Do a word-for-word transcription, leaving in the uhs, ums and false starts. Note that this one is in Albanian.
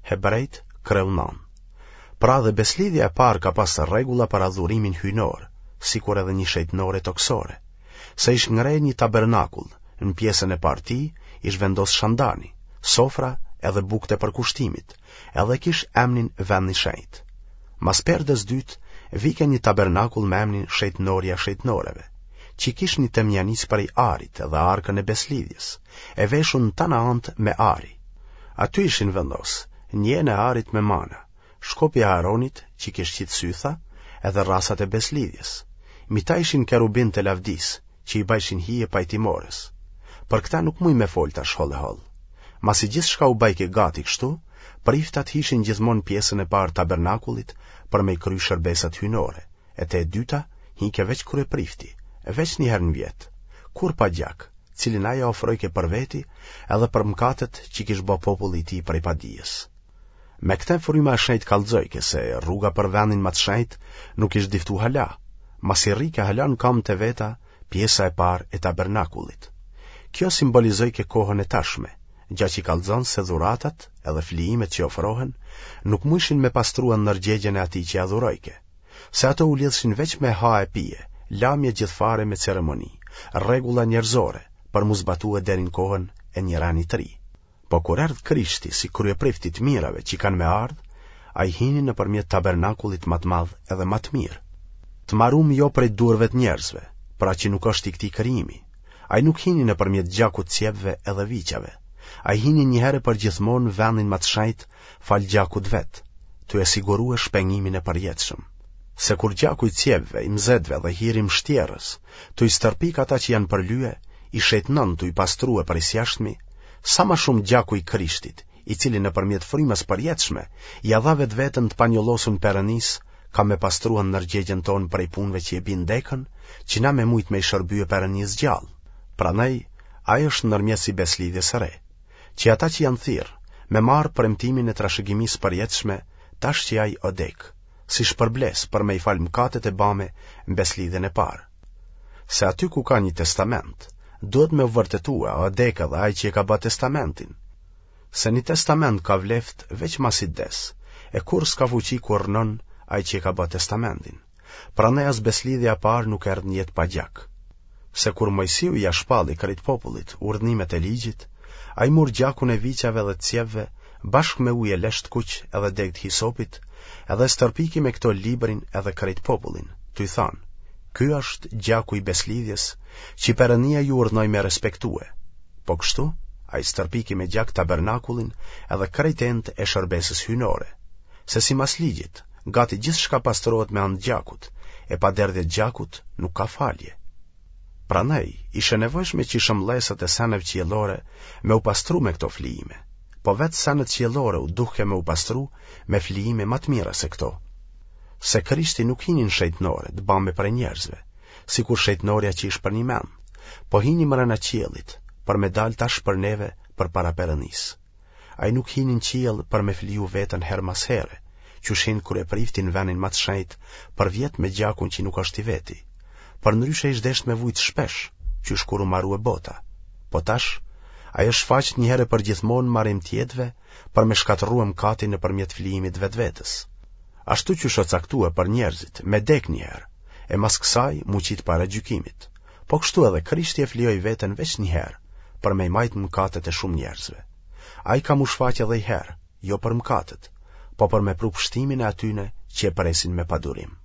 Hebrejt, kreu nëntë. Pra dhe beslidhja e parë ka pas rregulla për adhurimin hyjnor, sikur edhe një shejtnore tokësore. Se ish ngre një tabernakull, në pjesën e parë tij ish vendos shandani, sofra edhe bukët e përkushtimit, edhe kish emnin vend i shenjtë. Mas perdes dytë vike një tabernakull me emnin shejtnorja e shejtnoreve, që kish një temjanicë prej arit dhe arkën e beslidhjes, e veshun në tana anët me ari. Aty ishin vendos një enë e arit me mana, shkopi i Aaronit që kish qitë sytha, edhe rrasat e beslidhjes. Mi ta ishin kerubinët e lavdisë, që i bajshin hije pajtimores. Për këta nuk muj me fol tash hollë e hollë. Masi gjithçka u bajke gati kështu, priftat hishin gjithmonë pjesën e parë tabernakullit për me i kry shërbesat hyjnore, e te e dyta hike veç kryeprifti, veç një herë në vjet, kurrë pa gjak, cilin ai e ofrojke për veti edhe për mëkatet që kish bë populli i tij prej padijes. Me këtë fryma e shenjtë kallxojke se rruga për vendin më të shenjtë nuk ish diftu hala, masi rrike hala në kamët e veta pjesa e parë e tabernakullit. Kjo simbolizojke kohën e tashme, gja që kallxon se dhuratat edhe flijimet që ofrohen nuk mujshin me pastrua ndërgjegjen e atij që adhurojke, se ato u lidhshin veç me ha e pije, lamje gjithfare me ceremoni, rregulla njerëzore, për mu zbatue deri në kohën e një reni të ri. Po kur erdh Krishti si kryeprift i të mirave që kanë me ardhë, ai hini nëpërmjet tabernakullit ma të madh edhe ma të mirë. Të marum jo prej duarve të njerëzve, pra që nuk është i këtij krijimi. Ai nuk hini nëpërmjet gjakut cjepve edhe viçave. Ai hini një herë për gjithmonë në vendin ma të shenjtë falë gjakut vet, tu e sigurue shpengimin e përjetshëm. Se kur gjaku i cjepve, i mzetëve dhe hiri i mshtjerrës, tu i stërpik ata që janë përlye, i shejtnon tu i pastrue prej s'jashtmi, sa ma shumë gjaku i Krishtit, i cili nëpërmjet frymës përjetshme ia dha vetveten të panjollosun Perënisë, ka me pastrua ndërgjegjen tonë prej punëve që e bin dekën, që na me mujt me i shërbye Perënisë gjallë. Prandaj, ai është ndërmjetës i beslidhjes së re, që ata që janë thirrë, me marrë premtimin e trashëgimisë përjetshme tash që ai o dekë, si shpërblesë për me i falë mëkatet e bame në beslidhjen e parë. Se aty ku ka një testament, duhet me u vërtetue a o dekë edhe ai që e ka ba testamentin. Se një testament ka vleftë veç masi des, e kurrë s'ka fuqi kur rrnon ai që e ka ba testamentin. Prandaj as beslidhja e parë nuk erdh në jetë pa gjak. Se kur Moisiu ia shpalli krejt popullit urdhnimet e ligjit, ai mur gjakun e viçave dhe cjepve bashkë me ujë e lesh të kuq edhe degë të hisopit, edhe stërpiki me këto librin edhe krejt popullin, tuj thanë, ky është gjaku i beslidhjes që Perënia ju urdhnoi me respektue. Po kështu, ai stërpiki me gjak tabernakullin edhe krejt enët e shërbesës hyjnore, se simas ligjit, gati gjithçka pastrohet me anë të gjakut, e pa derdhje të gjakut nuk ka falje. Prandaj, ish e nevojshme që shëmbëllesat e seneve qiellore me u pastru me këto flijime, po vetë senet qiellore u duhke me u pastru me flijime ma të mira se këto. Se Krishti nuk hini në shejtnore të bame prej njerëzve, sikur shejtnorja që ish përnjëmend, po hini mrena qiellit, për me dalë tash për neve përpara Perënisë. Ai nuk hini në qiell për me fliju veten herë mas here, qysh hin kryeprifti në vendin ma të shenjtë përvjet me gjakun që nuk është i veti. Përndryshe ish desht me vujt shpesh, qysh kur u marue bota. Po tash, ai është shfaqët një herë për gjithmonë n'marim të jetëve për me shkatërrue mëkatin nëpërmjet flijimit vetvetes. Ashtu qysh o caktue për njerëzit, me dek një herë, e mas kësaj m'u qitë para gjykimit. Po kështu edhe Krishti e flijoi veten veç një herë, për me i majtë mëkatet e shumë njerëzve. Ai ka m'u shfaq edhe i herë, jo për mëkatet, po për me pru pështimin e atyne që e presin me padurim.